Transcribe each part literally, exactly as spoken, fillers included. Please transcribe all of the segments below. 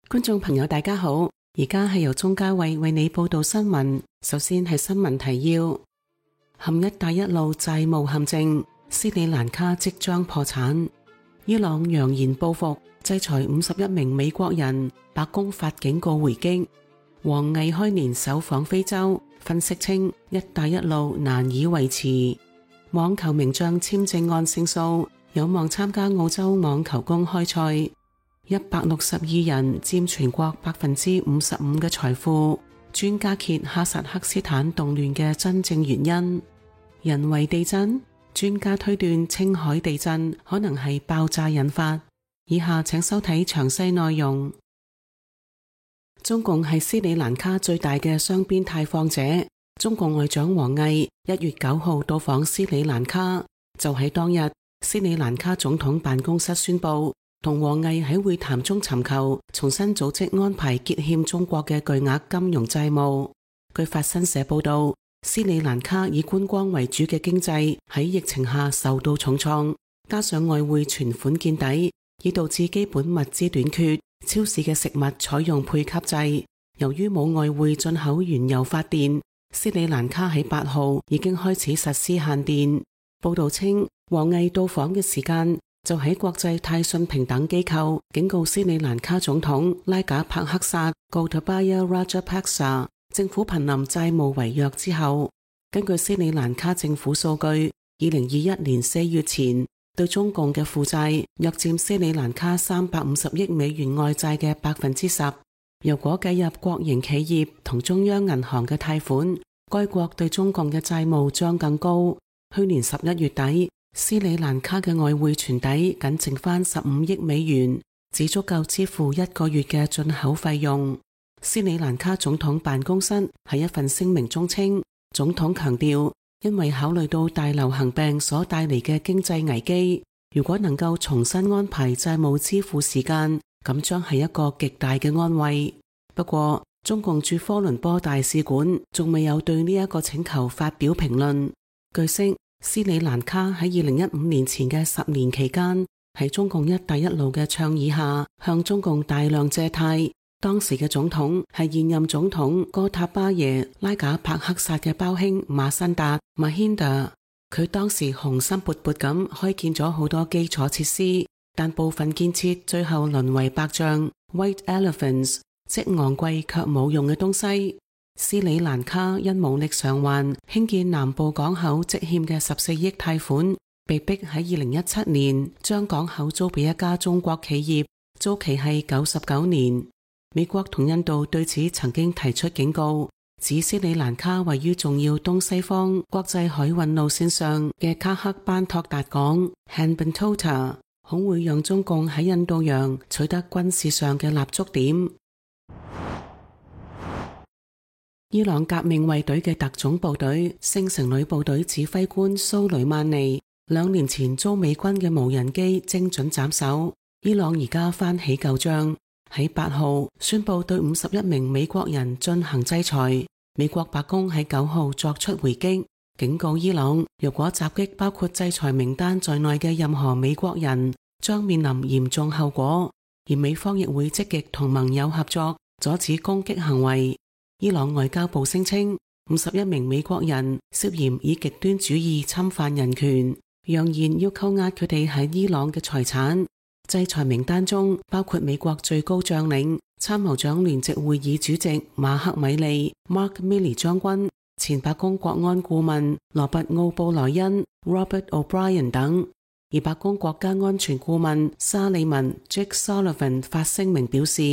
觀眾朋友大家好，而家係由鍾嘉慧為你報道新聞。首先係新聞提要：陷一帶一路債務陷阱，斯里蘭卡即將破產。伊朗揚言報復，制裁五十一名美國人，白宮發警告回擊。王毅開年首訪非洲，分析稱一帶一路難以維持。網球名將簽證案勝訴，有望參加澳洲網球公開賽。一百六十二人佔全國百分之五十五嘅財富。專家揭哈薩克斯坦動亂嘅真正原因。人為地震，專家推斷青海地震可能係爆炸引發。以下請收睇詳細內容。中共係斯里蘭卡最大嘅雙邊貸放者。中共外長王毅一月九號到訪斯里蘭卡，就喺當日，斯里蘭卡總統辦公室宣布，同王毅喺會談中尋求重新組織安排結欠中國嘅巨額金融債務。據法新社報道，斯里蘭卡以觀光為主嘅經濟喺疫情下受到重創，加上外匯存款見底，已導致基本物資短缺，超市嘅食物採用配給制。由於冇外匯進口原油發電，斯里蘭卡喺八號已經開始實施限電。報道稱，王毅到訪嘅時間就喺國際泰信平等機構警告斯里蘭卡總統拉賈帕克薩 Gotabaya Rajapaksa 政府瀕臨債務違約之後。根據斯里蘭卡政府數據，二零二一年四月前對中共嘅負債約佔斯里蘭卡三百五十億美元外債嘅百分之十。如果計入國營企業同中央銀行嘅貸款，該國對中共嘅債務將更高。去年十一月底，斯里蘭卡嘅外匯存底僅剩翻十五億美元，只足夠支付一個月嘅進口費用。斯里蘭卡總統辦公室喺一份聲明中稱，總統強調，因為考慮到大流行病所帶嚟嘅經濟危機，如果能夠重新安排債務支付時間，咁將係一個極大嘅安慰。不過，中共駐科倫坡大使館仲未有對呢一個請求發表評論。據悉，斯里蘭卡喺二零一五年前嘅十年期間，喺中共一帶一路嘅倡議下，向中共大量借貸。當時嘅總統係現任總統哥塔巴耶拉賈帕克薩嘅胞兄馬辛達 Mahinda。佢當時雄心勃勃咁開建咗好多基礎設施，但部分建設最後淪為白象 （White Elephants），即昂貴卻冇用嘅東西。斯里蘭卡因無力償還興建南部港口積欠嘅十四億貸款，被逼喺二零一七年將港口租俾一家中國企業，租期係九十九年。美國同印度對此曾經提出警告，指斯里蘭卡位於重要東西方國際海運路線上嘅卡克班托達港 Hambantota， 恐會讓中共喺印度洋取得軍事上嘅立足點。伊朗革命衛隊嘅特種部隊聖城旅部隊指揮官蘇雷曼尼兩年前遭美軍嘅無人機精準斬首，伊朗而家翻起舊賬，喺八號宣布對五十一名美國人進行制裁。美國白宮喺九號作出回擊，警告伊朗，如果襲擊包括制裁名單在內嘅任何美國人，將面臨嚴重後果，而美方亦會積極同盟友合作，阻止攻擊行為。伊朗外交部聲稱，五十一名美國人涉嫌以極端主義侵犯人權，揚言要扣押佢哋喺伊朗嘅財產。制裁名單中包括美國最高將領、參謀長聯席會議主席馬克米利 Mark Milley 將軍、前白宮國安顧問羅拔奧布萊恩 Robert O'Brien 等。而白宮國家安全顧問沙利文 Jake Sullivan 發聲明表示，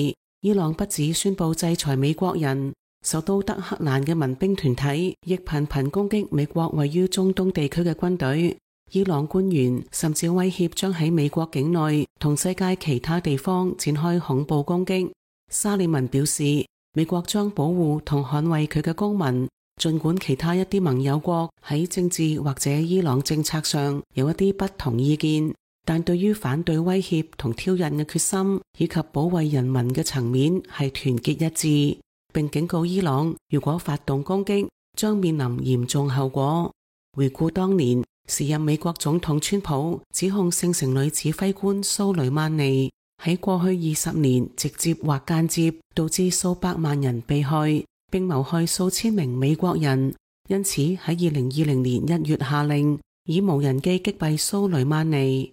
伊朗不止宣布制裁美國人，首都德黑蘭嘅民兵團體亦頻頻攻擊美國位於中東地區嘅軍隊。伊朗官員甚至威脅將喺美國境內同世界其他地方展開恐怖攻擊。沙利文表示，美國將保護同捍衛佢嘅公民，儘管其他一啲盟友國喺政治或者伊朗政策上有一啲不同意見，但對於反對威脅同挑釁嘅決心以及保衛人民嘅層面係團結一致，並警告伊朗，如果發動攻擊，將面臨嚴重後果。回顧當年，時任美國總統川普指控聖城旅指揮官蘇雷曼尼喺過去二十年直接或間接導致數百萬人被害，並謀害數千名美國人。因此喺二零二零年一月下令以無人機擊斃蘇雷曼尼。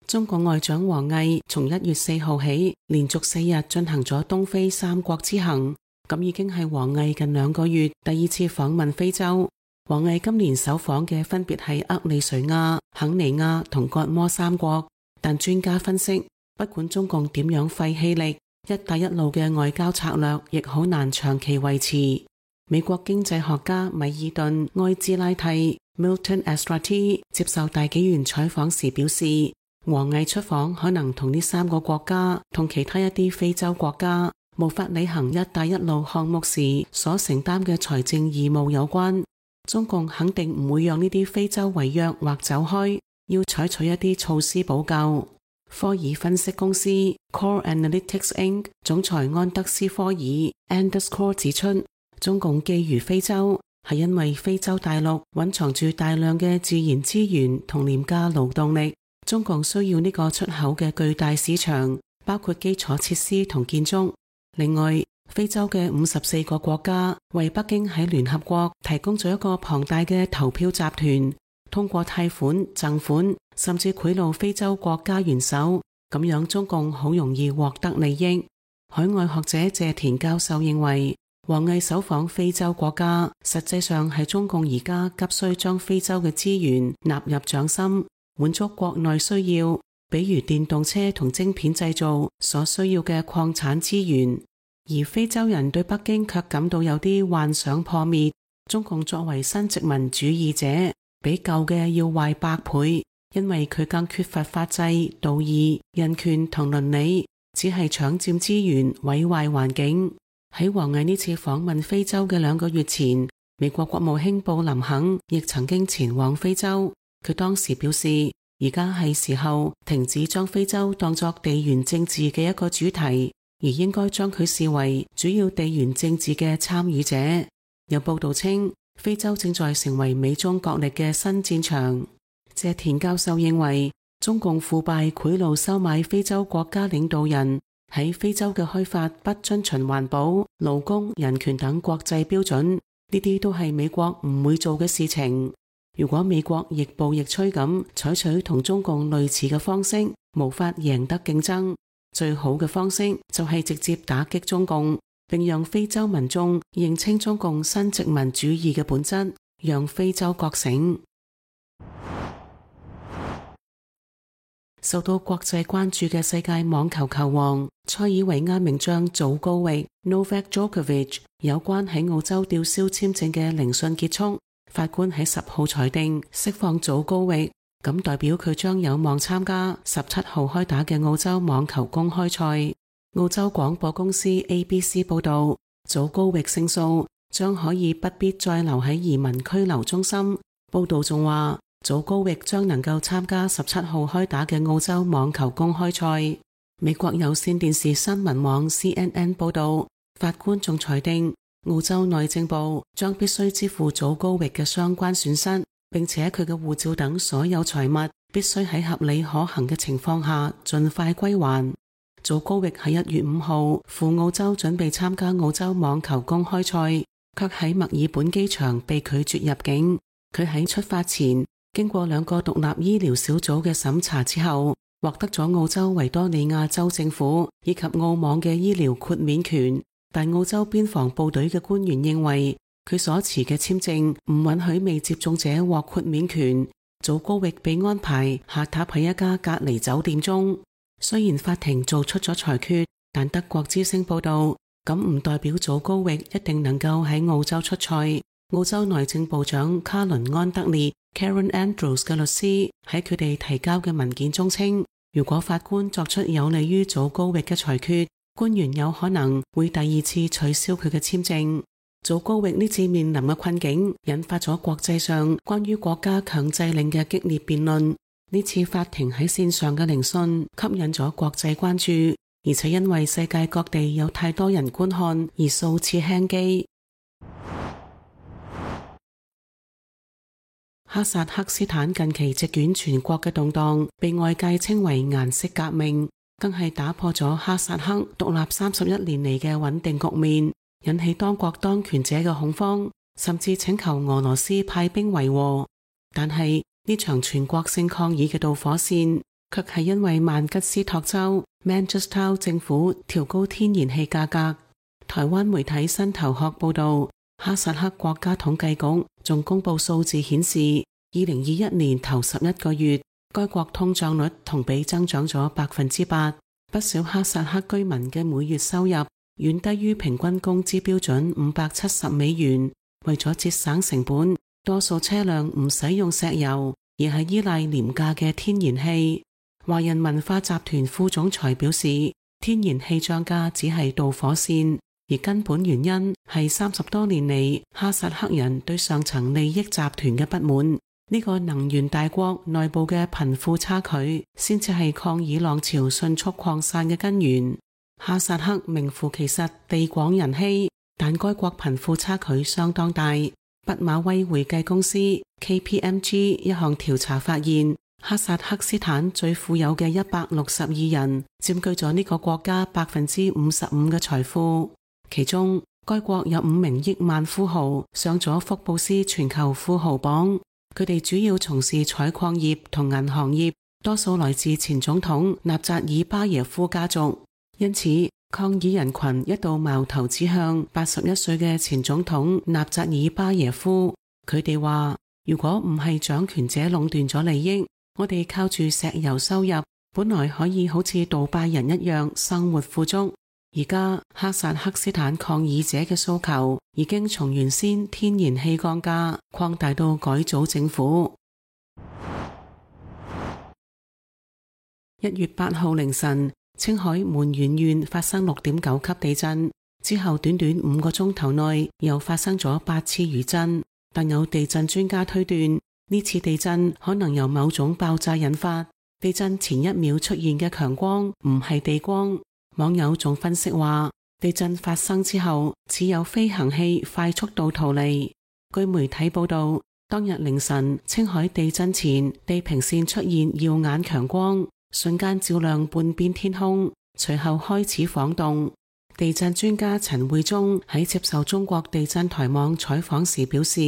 中國外長王毅從一月四號起連續四日進行咗東非三國之行，咁已經係王毅近兩個月第二次訪問非洲。王毅今年首訪嘅分別係厄利瑞亞、肯尼亞同割摩三國，但專家分析，不管中共點樣費氣力，一帶一路嘅外交策略亦好難長期維持。美國經濟學家米爾頓·埃茲拉蒂 Milton Estrati 接受大紀元採訪時表示，王毅出訪可能同呢三個國家同其他一啲非洲國家無法履行一帶一路項目時所承擔嘅財政義務有關。中共肯定唔會讓呢啲非洲違約或走開，要採取一啲措施補救。科爾分析公司 Core Analytics Incorporated 總裁安德斯科爾 Anders Core 指出，中共覬覦非洲係因為非洲大陸蘊藏住大量嘅自然資源同廉價勞動力，中共需要呢個出口嘅巨大市場，包括基礎設施同建築。另外，非洲嘅五十四個國家為北京喺聯合國提供咗一個龐大嘅投票集團，通過貸款、贈款甚至賄賂非洲國家元首，咁樣中共好容易獲得利益。海外學者謝田教授認為，王毅首訪非洲國家實際上係中共而家急需將非洲嘅資源納入掌心，滿足國內需要，比如電動車同晶片製造所需要嘅礦產資源。而非洲人對北京卻感到有啲幻想破滅，中共作為新殖民主義者，比舊嘅要壞百倍，因為佢更缺乏法制、道義、人權同倫理，只係搶佔資源、毀壞環境。喺王毅呢次訪問非洲嘅兩個月前，美國國務卿布林肯亦曾經前往非洲，佢當時表示，而家係時候停止將非洲當作地緣政治嘅一個主題，而應該將佢視為主要地緣政治嘅參與者。有報道稱，非洲正在成為美中角力嘅新戰場。謝田教授認為，中共腐敗賄賂收買非洲國家領導人，喺非洲嘅開發不遵循環保、勞工、人權等國際標準，呢啲都係美國唔會做嘅事情。如果美國亦步亦趨咁採取同中共類似嘅方式，無法贏得競爭。最好嘅方式就係直接打擊中共，並讓非洲民眾認清中共新殖民主義嘅本質，讓非洲覺醒。受到國際關注嘅世界網球球王塞爾維亞名將祖高域 Novak Djokovic 有關喺澳洲吊銷簽證嘅聆訊結束，法官喺十號裁定釋放祖高域。咁代表佢將有望參加十七號開打嘅澳洲網球公開賽。澳洲廣播公司 A B C 報道，祖高域勝訴將可以不必再留喺移民拘留中心。報道仲話，祖高域將能夠參加十七號開打嘅澳洲網球公開賽。美國有線電視新聞網 C N N 報道，法官仲裁定澳洲內政部將必須支付祖高域嘅相關損失，並且佢嘅護照等所有財物必須喺合理可行嘅情況下盡快歸還。祖高域喺一月五號赴澳洲準備參加澳洲網球公開賽，卻喺墨爾本機場被拒絕入境。佢喺出發前經過兩個獨立醫療小組嘅審查之後，獲得咗澳洲維多利亞州政府以及澳網嘅醫療豁免權，但澳洲邊防部隊嘅官員認為佢所持嘅簽證唔允許未接種者獲豁免權。祖高域被安排下榻喺一家隔離酒店中。雖然法庭做出咗裁決，但德國之聲報道，咁唔代表祖高域一定能夠喺澳洲出賽。澳洲內政部長卡倫安德烈 Karen Andrews 嘅律師喺佢哋提交嘅文件中稱，如果法官作出有利於祖高域嘅裁決，官員有可能會第二次取消佢嘅簽證。祖高域呢次面臨嘅困境引發咗國際上關於國家強制令嘅激烈辯論。呢次法庭喺線上嘅聆訊吸引咗國際關注，而且因為世界各地有太多人觀看而數次輕機。哈薩克斯坦近期席捲全國嘅動盪，被外界稱為顏色革命，更係打破咗哈薩克獨立三十一年嚟嘅穩定局面，引起當國當權者嘅恐慌，甚至請求俄羅斯派兵維和。但係呢場全國性抗議嘅導火線，卻係因為曼吉斯托州 Manguistaou 政府調高天然氣價格。台灣媒體新頭殼報道，哈薩克國家統計局仲公布數字顯示，二零二一年頭十一個月，該國通脹率同比增長咗百分之八。不少哈薩克居民嘅每月收入遠低於平均工資標準五百七十美元。為咗節省成本，多數車輛唔使用石油，而係依賴廉價嘅天然氣。華人文化集團副總裁表示，天然氣漲價只係導火線，而根本原因係三十多年嚟哈薩克人對上層利益集團嘅不滿。呢個能源大國內部嘅貧富差距，先至係抗議浪潮迅速擴散嘅根源。哈薩克名副其實地廣人稀，但該國貧富差距相當大。畢馬威會計公司 K P M G 一項調查發現，哈薩克斯坦最富有嘅一百六十二人佔據咗呢個國家百分之五十五嘅財富，其中該國有五名億萬富豪上咗福布斯全球富豪榜。佢哋主要從事採礦業同銀行業，多數來自前總統納扎爾巴耶夫家族。因此，抗議人群一度矛頭指向八十一歲嘅前總統納扎爾巴耶夫。佢哋話，如果唔係掌權者壟斷咗利益，我哋靠住石油收入，本來可以好似杜拜人一樣生活富足。而家哈薩克斯坦抗議者嘅訴求已經從原先天然氣降價擴大到改組政府。一月八號凌晨，青海門源縣發生六點九級地震，之後短短五個鐘頭內又發生咗八次餘震。但有地震專家推斷，呢次地震可能由某種爆炸引發。地震前一秒出現嘅強光唔係地光。網友仲分析話，地震發生之後，似有飛行器快速度逃離。據媒體報道，當日凌晨青海地震前，地平線出現耀眼強光，瞬間照亮半邊天空，隨後開始晃動。地震專家陳匯忠喺接受中國地震台網採訪時表示，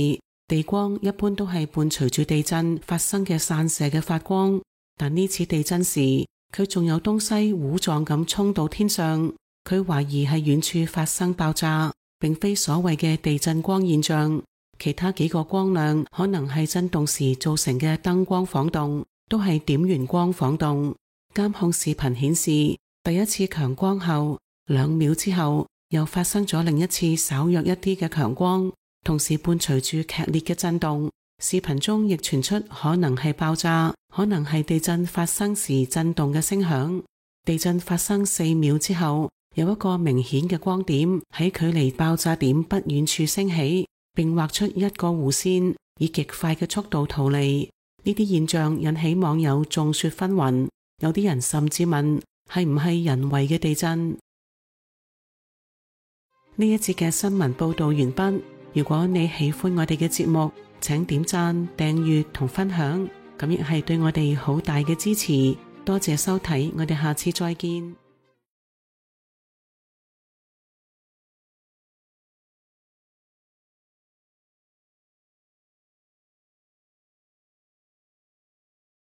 地光一般都係伴隨住地震發生嘅散射嘅發光，但呢次地震時，佢仲有東西糊狀咁衝到天上，佢懷疑係遠處發生爆炸，並非所謂嘅地震光現象。其他幾個光亮可能係震動時造成嘅燈光晃動，都係點圓光晃動。監控視頻顯示，第一次強光後，兩秒之後又發生咗另一次稍弱一啲嘅強光，同時伴隨住劇烈嘅震動。視頻中亦傳出可能係爆炸，可能係地震發生時震動嘅聲響。地震發生四秒之後，有一個明顯嘅光點喺距離爆炸點不遠處升起，並畫出一個弧線，以極快嘅速度逃離。呢啲現象引起網友眾說紛紜，有啲人甚至問係唔係人為嘅地震。呢一節嘅新聞報道完畢。如果你喜歡我哋嘅節目，請點讚、訂閱同分享，咁亦係對我哋好大嘅支持。多謝收睇，我哋下次再見。